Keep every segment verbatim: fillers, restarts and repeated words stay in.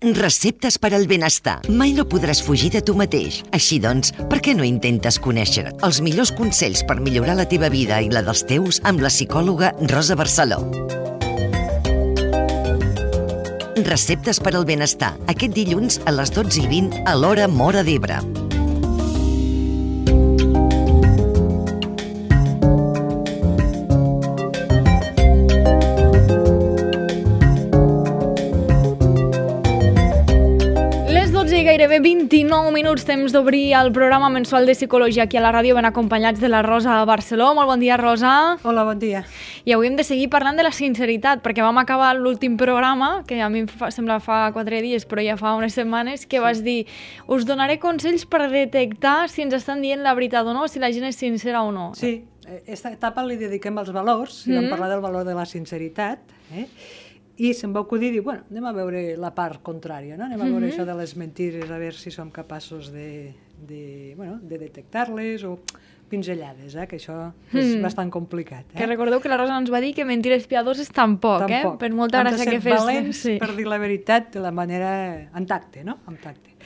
Receptes per al benestar. Mai no podràs fugir de tu mateix. Així doncs, per què no intentes conèixer els millors consells per millorar la teva vida i la dels teus amb la psicòloga Rosa Barceló? Receptes per al benestar. Aquest dilluns a les dotze i vint a l'hora Móra d'Ebre. Gairebé vint-i-nou minuts, temps d'obrir el programa mensual de psicologia aquí a la ràdio, ben acompanyats de la Rosa Barceló. Molt bon dia, Rosa. Hola, bon dia. I avui hem de seguir parlant de la sinceritat, perquè vam acabar l'últim programa, que a mi em fa, sembla fa quatre dies, però ja fa unes setmanes, que sí. Vas dir, us donaré consells per detectar si ens estan dient la veritat o no, si la gent és sincera o no. Sí, aquesta etapa li dediquem als valors, i mm. vam parlar del valor de la sinceritat, eh? I se'm va acudir dir, bueno, anem a veure la part contrària, no? Anem a veure mm-hmm. això de les mentires, a veure si som capaços de, de, bueno, de detectar-les o pinzellades, eh? Que això és mm. bastant complicat. Eh? Que recordeu que la Rosa ens va dir que mentides piadoses tampoc, tampoc. eh? Per molta gràcia que fes. Valents sí. per dir la veritat de la manera en tacte, no? En tacte.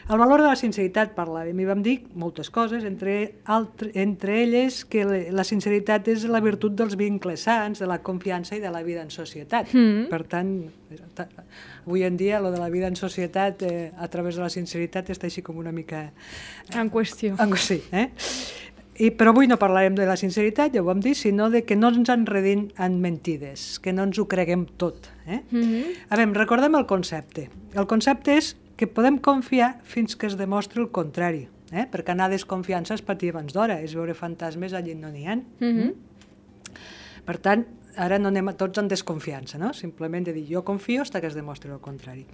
El valor de la sinceritat parlàvem i vam dir moltes coses, entre, altre, entre elles que la sinceritat és la virtut dels vincles sants, de la confiança i de la vida en societat. Mm. Per tant, avui en dia, lo de la vida en societat eh, a través de la sinceritat està així com una mica... Eh, en qüestió. En, sí, eh? I, però avui no parlarem de la sinceritat, ja ho vam dir, sinó de que no ens enredim en mentides, que no ens ho creguem tot. Eh? Mm-hmm. A veure, recordem el concepte. El concepte és que podem confiar fins que es demostri el contrari, eh? Perquè anar a desconfiança és patir abans d'hora, és veure fantasmes allà no n'hi ha. Mm-hmm. Per tant, ara no anem a tots en desconfiança, no? Simplement de dir jo confio fins que es demostri el contrari.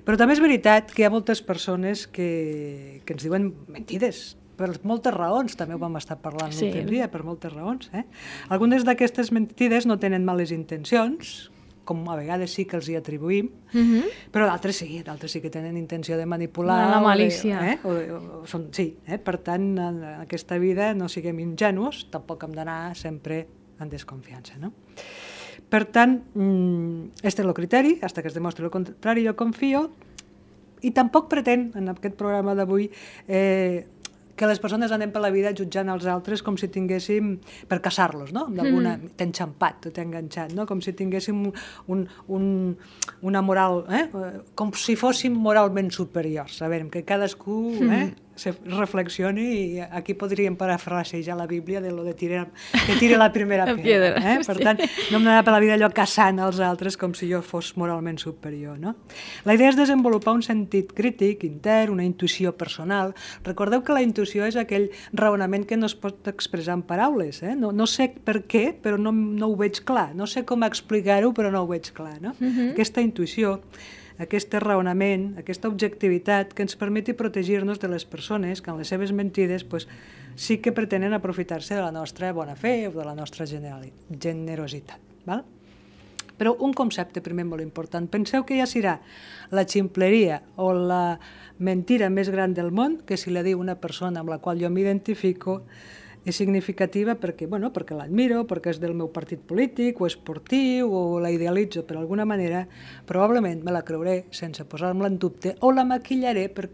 Però també és veritat que hi ha moltes persones que, que ens diuen mentides, per moltes raons, també ho vam estar parlant sí. l'últim dia, per moltes raons. Eh? Algunes d'aquestes mentides no tenen males intencions, com a vegades sí que els hi atribuïm, mm-hmm. però d'altres sí, d'altres sí que tenen intenció de manipular. La malícia. O de, eh? o de, o són, sí, eh? Per tant, en aquesta vida no siguem ingenus, tampoc hem d'anar sempre en desconfiança, no? Per tant, este és el criteri, fins que es demostri el contrari, jo confio, i tampoc pretén, en aquest programa d'avui, eh, que les persones anem per la vida jutjant els altres com si tinguéssim, per caçar-los, no? D'alguna, mm. t'he enxampat, t'he enganxat, no? Com si tinguéssim un, un, una moral, eh? Com si fóssim moralment superiors. A veure, que cadascú mm. eh? se reflexioni i aquí podríem parafrasejar la Bíblia de lo de tirar, que tire la primera la pedra. Eh? Per tant, no hem d'anar per la vida allò caçant els altres com si jo fos moralment superior, no? La idea és desenvolupar un sentit crític, intern, una intuïció personal. Recordeu que la intuïció és aquell raonament que no es pot expressar en paraules. Eh? No, no sé per què, però no, no ho veig clar. No sé com explicar-ho, però no ho veig clar. No? Uh-huh. Aquesta intuïció, aquest raonament, aquesta objectivitat que ens permeti protegir-nos de les persones que en les seves mentides pues, sí que pretenen aprofitar-se de la nostra bona fe o de la nostra generositat. Val? Però un concepte primer molt important. Penseu que ja serà la ximpleria o la mentira més gran del món que si la diu una persona amb la qual jo m'identifico és significativa perquè, bueno, perquè l'admiro, perquè és del meu partit polític o esportiu o la idealitzo per alguna manera, probablement me la creuré sense posar-me-la en dubte o la maquillaré per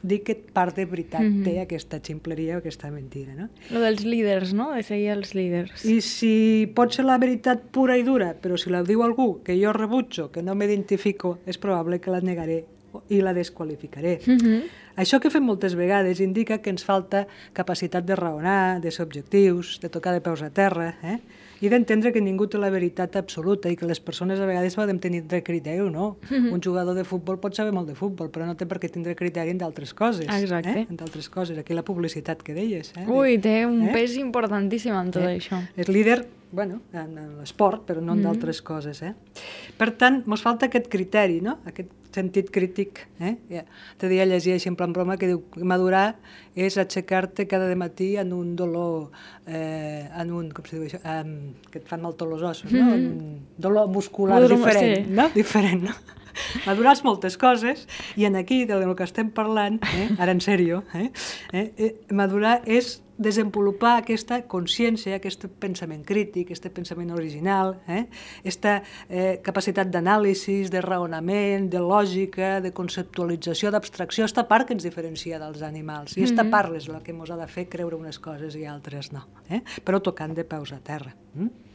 dir que part de veritat mm-hmm. té aquesta ximpleria o aquesta mentira. No? Lo dels líders, no? De seguir els líders. I si pot ser la veritat pura i dura, però si la diu algú que jo rebutjo, que no m'identifico, és probable que la negaré i la desqualificaré. Mm-hmm. Això que fem moltes vegades indica que ens falta capacitat de raonar, de ser objectius, de tocar de peus a terra, eh? I d'entendre que ningú té la veritat absoluta i que les persones a vegades poden tenir criteri o no. Mm-hmm. Un jugador de futbol pot saber molt de futbol, però no té per què tindre criteri en d'altres coses. Exacte. Eh? En d'altres coses. Aquí la publicitat que deies. Eh? Ui, té un eh? pes importantíssim en tot eh? això. És líder, bueno, en, en l'esport, però no en mm-hmm. d'altres coses. Eh? Per tant, ens falta aquest criteri, no? Aquest sentit crític. Eh? Ja. Te dia llegir així en plan broma que diu que madurar és aixecar-te cada matí en un dolor, eh, en un, com se diu això, um, que et fan mal tots els ossos, no? Un dolor muscular Dolor, diferent, sí. no? Diferent, no? Madurar és moltes coses i en aquí, del que estem parlant, eh, ara en sèrio, eh, eh, madurar és desenvolupar aquesta consciència, aquest pensament crític, aquest pensament original, eh? aquesta eh, capacitat d'anàlisi, de raonament, de lògica, de conceptualització, d'abstracció, aquesta part que ens diferencia dels animals. I aquesta part és la que ens ha de fer creure unes coses i altres no, eh? Però tocant de peus a terra. Mm?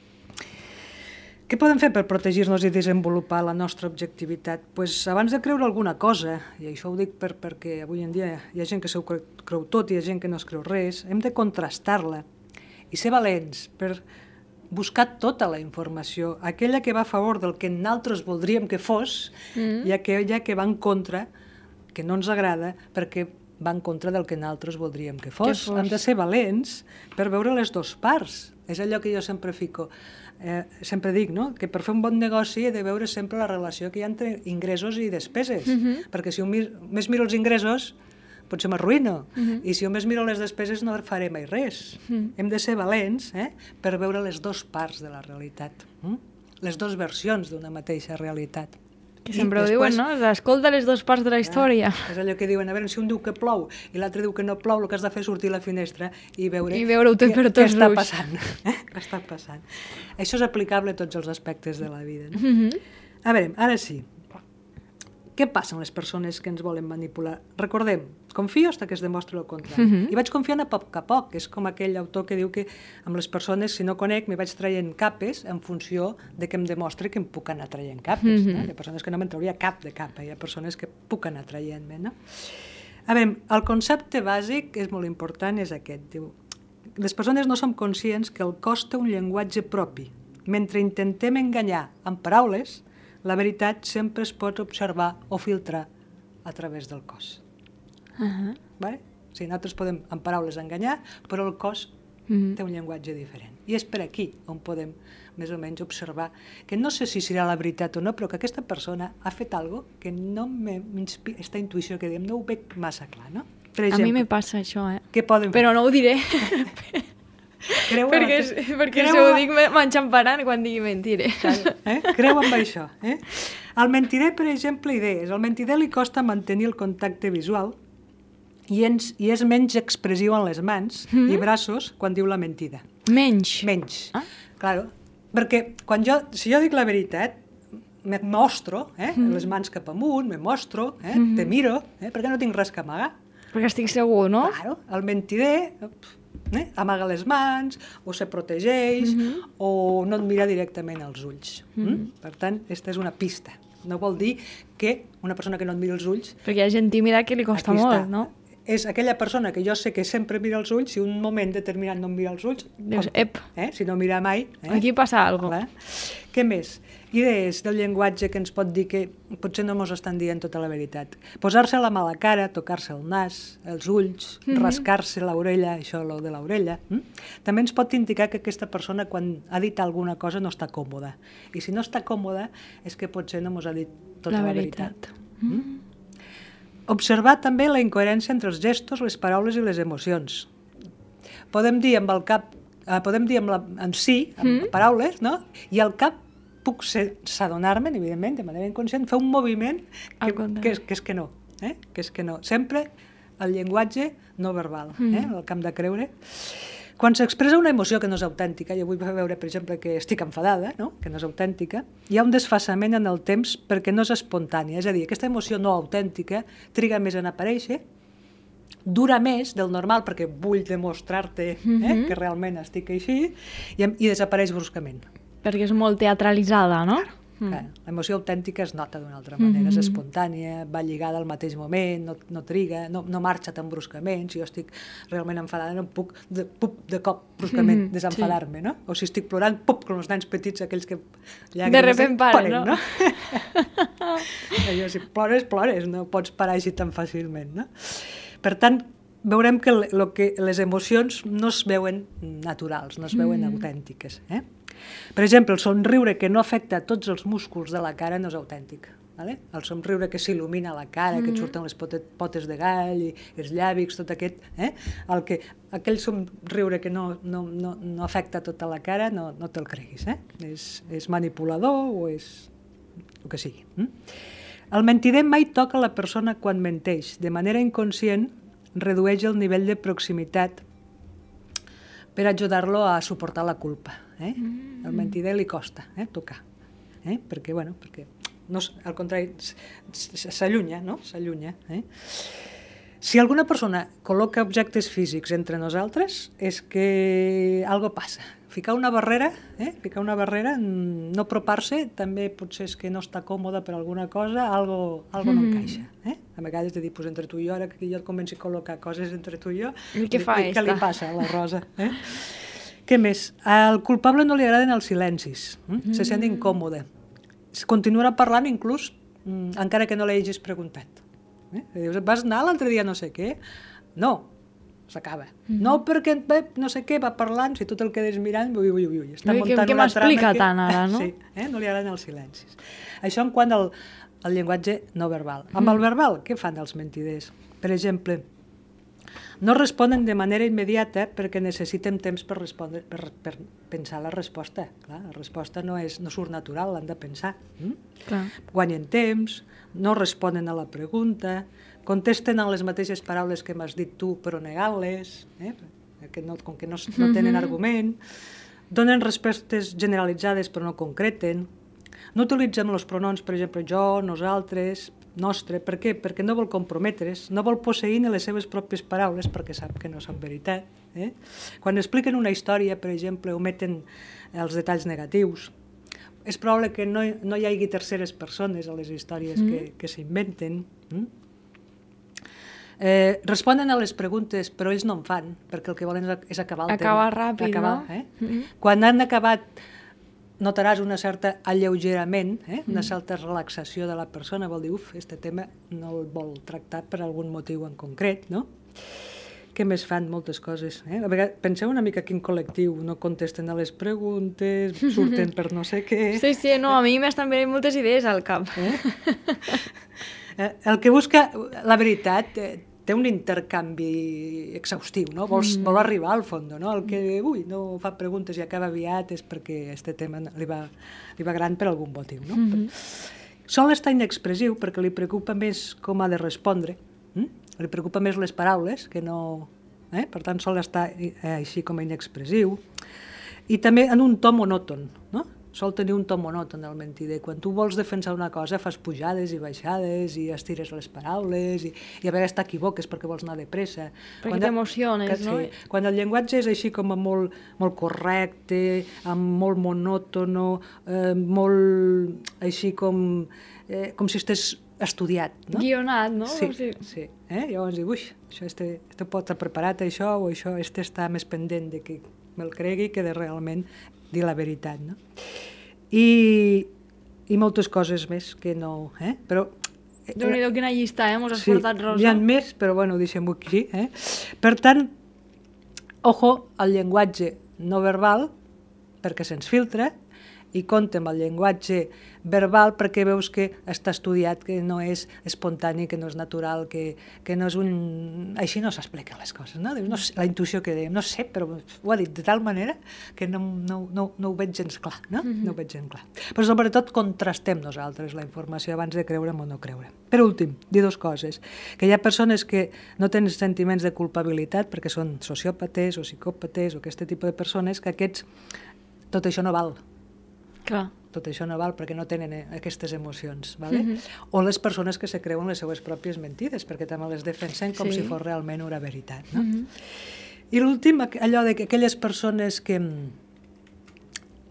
Què podem fer per protegir-nos i desenvolupar la nostra objectivitat? Pues, abans de creure alguna cosa, i això ho dic per, perquè avui en dia hi ha gent que s'ho creu, creu tot i hi ha gent que no es creu res, hem de contrastar-la i ser valents per buscar tota la informació, aquella que va a favor del que nosaltres voldríem que fos mm. i aquella que va en contra, que no ens agrada, perquè va en contra del que nosaltres voldríem que fos. que fos. Hem de ser valents per veure les dues parts. És allò que jo sempre fico. Eh, sempre dic, no?, que per fer un bon negoci he de veure sempre la relació que hi ha entre ingressos i despeses, mm-hmm. perquè si un mir, més miro els ingressos potser m'arruïno, mm-hmm. i si només miro les despeses no faré mai res. Mm. Hem de ser valents eh, per veure les dues parts de la realitat, mm? les dues versions d'una mateixa realitat. Que sempre I ho després, diuen, no? Escolta les dues parts de la història. Ja, és allò que diuen, a veure, si un diu que plou i l'altre diu que no plou, el que has de fer és sortir a la finestra i veure, I veure què, per tots què està passant. Eh? Què està passant. Això és aplicable a tots els aspectes de la vida. No? Mm-hmm. A veure, ara sí. Què passa amb les persones que ens volen manipular? Recordem, confio fins que es demostri el contrari. Mm-hmm. I vaig confiant a poc a poc. És com aquell autor que diu que amb les persones, si no conec, me vaig traient capes en funció de que em demostri que em puc anar traient capes. Mm-hmm. No? Hi ha persones que no me'n trauria cap de capa, hi ha persones que puc anar traient-me. No? A veure, el concepte bàsic, que és molt important, és aquest. Diu, les persones no som conscients que el cos té un llenguatge propi. Mentre intentem enganyar amb paraules, la veritat sempre es pot observar o filtrar a través del cos. Uh-huh. Vale? O sigui, nosaltres podem amb paraules enganyar, però el cos uh-huh. té un llenguatge diferent. I és per aquí on podem més o menys observar que no sé si serà la veritat o no, però que aquesta persona ha fet alguna cosa que no m'inspira, aquesta intuïció que diem, no ho veig massa clar, no? Per exemple, a mi me passa això, eh? Què poden fer? Però no ho diré. Creu perquè aquest... perquè creu... si ho dic m'enxamparan quan digui mentire. Eh? Creu amb això. Eh? Al mentider, per exemple, idees. Al mentider li costa mantenir el contacte visual i, ens, i és menys expressiu en les mans mm-hmm. i braços quan diu la mentida. Menys? Menys. Ah? Claro, perquè quan jo, si jo dic la veritat, me mostro, eh? mm-hmm. les mans cap amunt, me mostro, eh? mm-hmm. te miro, eh? perquè no tinc res que amagar. Perquè estic segur, no? Claro, el mentider... Eh? amaga les mans, o se protegeix, mm-hmm. o no et mira directament als ulls. Mm-hmm. Mm? Per tant, aquesta és una pista. No vol dir que una persona que no et mira els ulls... Perquè hi ha gent tímida que li costa molt, no? És aquella persona que jo sé que sempre mira els ulls, si un moment determinat no em mira els ulls... Dius, ep! Eh? Si no mira mai... Eh? Aquí passa alguna cosa. Què més? Idees del llenguatge que ens pot dir que potser no ens estan dient tota la veritat. Posar-se la mà a la cara, tocar-se el nas, els ulls, mm-hmm. rascar-se l'orella, això lo de l'orella. Mm? També ens pot indicar que aquesta persona quan ha dit alguna cosa no està còmoda. I si no està còmoda és que potser no ens ha dit tota la, la veritat. veritat. Mm? Observar també la incoherència entre els gestos, les paraules i les emocions. Podem dir amb el cap, eh, podem dir amb, la, amb sí, amb mm? paraules, no? I al cap puc s'adonar-me, evidentment, de manera inconscient, fer un moviment que, que, és, que és que no. Eh? Que és que no. Sempre el llenguatge no verbal, mm. eh? el camp de creure. Quan s'expressa una emoció que no és autèntica, jo vull veure, per exemple, que estic enfadada, no? que no és autèntica, hi ha un desfasament en el temps perquè no és espontània. És a dir, aquesta emoció no autèntica triga més en aparèixer, dura més del normal perquè vull demostrar-te eh, mm-hmm. que realment estic així, i, i desapareix bruscament. Perquè és molt teatralitzada, no? Claro, mm. clar. L'emoció autèntica es nota d'una altra manera, mm-hmm. és espontània, va lligada al mateix moment, no, no triga, no, no marxa tan bruscament. Si jo estic realment enfadada, no puc de, pup, de cop bruscament mm-hmm. desenfadar-me, sí. no? O si estic plorant, pup, com els nens petits, aquells que llàgrimes, de repent paren, no? no? Allò, si plores, plores, no pots parar així tan fàcilment, no? Per tant, veurem que, lo que les emocions no es veuen naturals, no es veuen mm. autèntiques, eh? Per exemple, el somriure que no afecta a tots els músculs de la cara no és autèntic. Vale? El somriure que s'il·lumina la cara, mm. que et surten les potes de gall, i els llàbics, tot aquest... Eh? El que, aquell somriure que no, no, no, no afecta tota la cara, no, no te'l creguis. Eh? És, és manipulador o és el que sigui. Mm? El mentider mai toca la persona quan menteix. De manera inconscient, redueix el nivell de proximitat per ajudar-lo a suportar la culpa. Eh? Mm. El mentider li costa eh, tocar, eh? perquè, bueno, perquè no, al contrari, s'allunya, no? S'allunya. Eh? Si alguna persona col·loca objectes físics entre nosaltres, és que algo passa. Ficar una barrera, eh? Ficar una barrera, no apropar-se, també potser és que no està còmode per alguna cosa, algo, algo no encaixa. Eh? A vegades de dir, pues, entre tu i jo, ara que jo et comenci a col·locar coses entre tu i jo, I què fa què esta? li passa a la Rosa? Eh? Què més? Al culpable no li agraden els silencis, eh? Se sent incòmode. Continuarà parlant inclús encara que no l'hagis preguntat. Eh? Dius, vas anar l'altre dia no sé què? No, s'acaba. Mm-hmm. No, perquè no sé què, va parlant, si tu te'l quedes mirant, ui, ui, ui, està ui, muntant que, una que trama... m'explica tant ara, no? Sí, eh? No li agraden els silencis. Això en quant al, al llenguatge no verbal. Amb mm. el verbal, què fan els mentiders? Per exemple, no responen de manera immediata perquè necessiten temps per, respondre, per, per pensar la resposta. Clar, la resposta no, és, no surt natural, l'han de pensar. Mm? Clar. Guanyen temps, no responen a la pregunta, contesten en les mateixes paraules que m'has dit tu, però negant-les, eh? que no, com que no, no tenen argument, donen respostes generalitzades però no concreten, no utilitzen els pronoms, per exemple, jo, nosaltres, nostre. Per què? Perquè no vol comprometre's, no vol posseir ni les seves pròpies paraules perquè sap que no són veritat. Eh? Quan expliquen una història, per exemple, ometen els detalls negatius. És probable que no, no hi hagi terceres persones a les històries mm. que, que s'inventen. Mm? Eh, responen a les preguntes, però ells no en fan, perquè el que volen és acabar el acabar tema. Ràpid, acabar, no? Eh? Mm-hmm. Quan han acabat, notaràs una certa alleugerament, eh? una certa relaxació de la persona, vol dir, uf, este tema no el vol tractar per algun motiu en concret, no? Què més fan? Moltes coses. Eh? A vegades, penseu una mica quin col·lectiu no contesten a les preguntes, surten per no sé què... Sí, sí, no, a mi m'estan venint moltes idees al cap. Eh? El que busca la veritat eh, té un intercanvi exhaustiu, no? Vol, mm. vol arribar al fons, no? El que, ui, no fa preguntes i acaba aviat és perquè este tema li va, li va gran per algun motiu, no? Mm-hmm. Sol estar inexpressiu perquè li preocupa més com ha de respondre, hm? Li preocupa més les paraules, que no... Eh? Per tant, sol estar eh, així com a inexpressiu. I també en un to monòton, no? Sol tenir un to monòton el mentider. Quan tu vols defensar una cosa fas pujades i baixades i estires les paraules i, i a vegades t'equivoques perquè vols anar de pressa. Perquè t'emociones, no? Sí. Quan el llenguatge és així com a molt, molt correcte, amb molt monòtono, eh, molt així com, eh, com si estigués estudiat, no? Guionat, no? Sí, sí. sí. Eh? Llavors diu, ui, això este, este pot estar preparat això o això, este està més pendent de que me'l cregui que de realment dir la veritat, no? I, i moltes coses més que no... Eh? Però... Déu-n'hi-do, quina llista, eh? Mos has sí, portat, Rosa. Hi ha més, però bueno, deixem-ho aquí. Eh? Per tant, ojo al llenguatge no verbal, perquè se'ns filtra, i compte amb el llenguatge verbal perquè veus que està estudiat, que no és espontani, que no és natural, que, que no és un... Així no s'expliquen les coses, no? no sé, la intuïció que dèiem, no sé, però ho ha dit de tal manera que no, no, no, no ho veig gens clar, no? Mm-hmm. No ho veig gens clar. Però sobretot contrastem nosaltres la informació abans de creure'm o no creure. Per últim, dir dues coses, que hi ha persones que no tenen sentiments de culpabilitat perquè són sociòpates o psicòpates o aquest tipus de persones, que aquests, tot això no val. Clar. Tot això no val perquè no tenen aquestes emocions, ¿vale? Mm-hmm. O les persones que se creuen les seues pròpies mentides, perquè també les defensen com sí. si fos realment una veritat, no? Mm-hmm. I l'últim, allò de que aquelles persones que,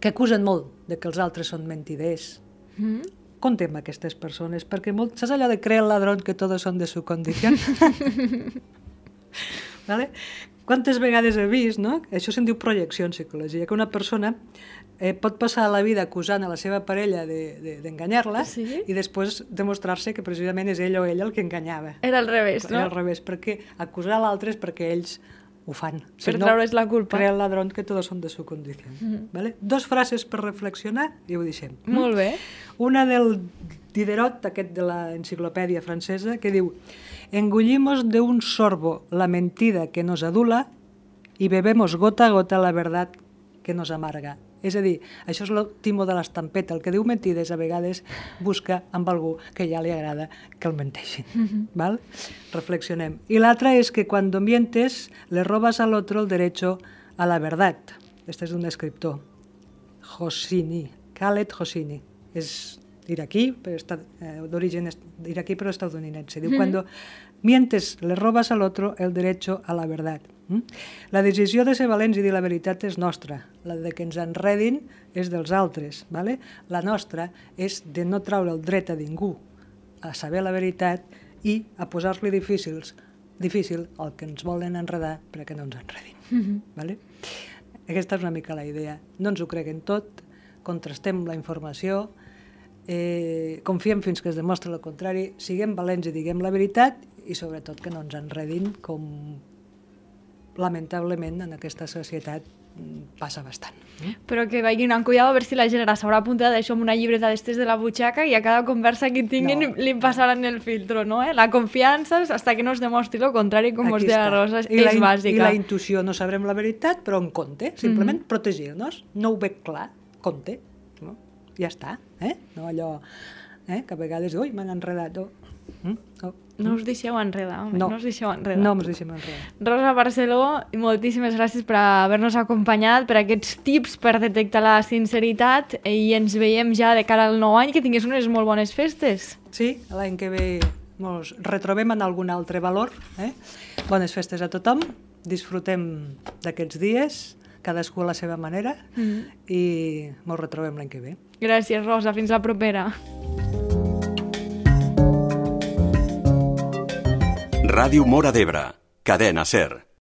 que acusen molt de que els altres són mentiders, mm-hmm. compte amb aquestes persones, perquè molt, saps allò de creer el ladrón que todos son de su condición? ¿Vale? Quantes vegades he vist, no? Això se'n diu projecció en psicologia, que una persona eh, pot passar la vida acusant a la seva parella d'enganyar-la de, de, sí? i després demostrar-se que precisament és ell o ella el que enganyava. Era al revés, no? Era al revés, perquè acusar l'altre és perquè ells ho fan. Per si no, treure's la culpa. Crea el ladrón que todos son de su condición. Mm-hmm. ¿Vale? Dos frases per reflexionar i ho deixem. Molt bé. Una del Diderot, aquest de l'enciclopèdia francesa, que diu: engullimos de un sorbo la mentida que nos adula y bebemos gota a gota la verdad que nos amarga. És a dir, això és el timo de l'estampeta. El que diu mentides a vegades busca amb algú que ja li agrada que el menteixin. Mm-hmm. ¿Val? Reflexionem. I l'altra és que quan mientes le robas al otro el derecho a la verdad. Este és un escriptor, Hosseini, Khaled Hosseini. És iraquí, eh, d'origen iraquí però estadounidense. Diu, mm-hmm. Cuando mientes, le robas al otro el derecho a la verdad. Mm? La decisió de ser valents i dir la veritat és nostra. La de que ens enredin és dels altres. Vale? La nostra és de no traure el dret a ningú a saber la veritat i a posar-li difícils, difícil el que ens volen enredar perquè no ens enredin. Mm-hmm. Vale? Aquesta és una mica la idea. No ens ho creguem tot, contrastem la informació, eh, confiem fins que es demostra el contrari, siguem valents i diguem la veritat i sobretot que no ens enredin com lamentablement en aquesta societat passa bastant. Però que vagin amb cuidado a veure si la gent ara s'haurà apuntat això amb una llibreta d'estes de la butxaca i a cada conversa que tinguin no. li passaran el filtro, no? Eh? La confiança, hasta que no es demostri el contrari, com us deia la Rosa, és la bàsica. I la intuïció, no sabrem la veritat, però en compte, simplement mm-hmm. protegir-nos. No ho veig clar, compte. No? Ja està, eh? No allò eh? que a vegades, ui, m'han enredat. Oh. Mm? Oh. No us deixeu enredar, home. No, no us deixeu enredar. No ens deixem enredar. Rosa Barceló, moltíssimes gràcies per haver-nos acompanyat, per aquests tips per detectar la sinceritat i ens veiem ja de cara al nou any, que tingués unes molt bones festes. Sí, l'any que ve ens retrobem en algun altre valor. Eh? Bones festes a tothom, disfrutem d'aquests dies, cadascú a la seva manera, mm. i ens retrobem l'any que ve. Gràcies, Rosa. Fins la propera. Ràdio Móra d'Ebre, Cadena SER.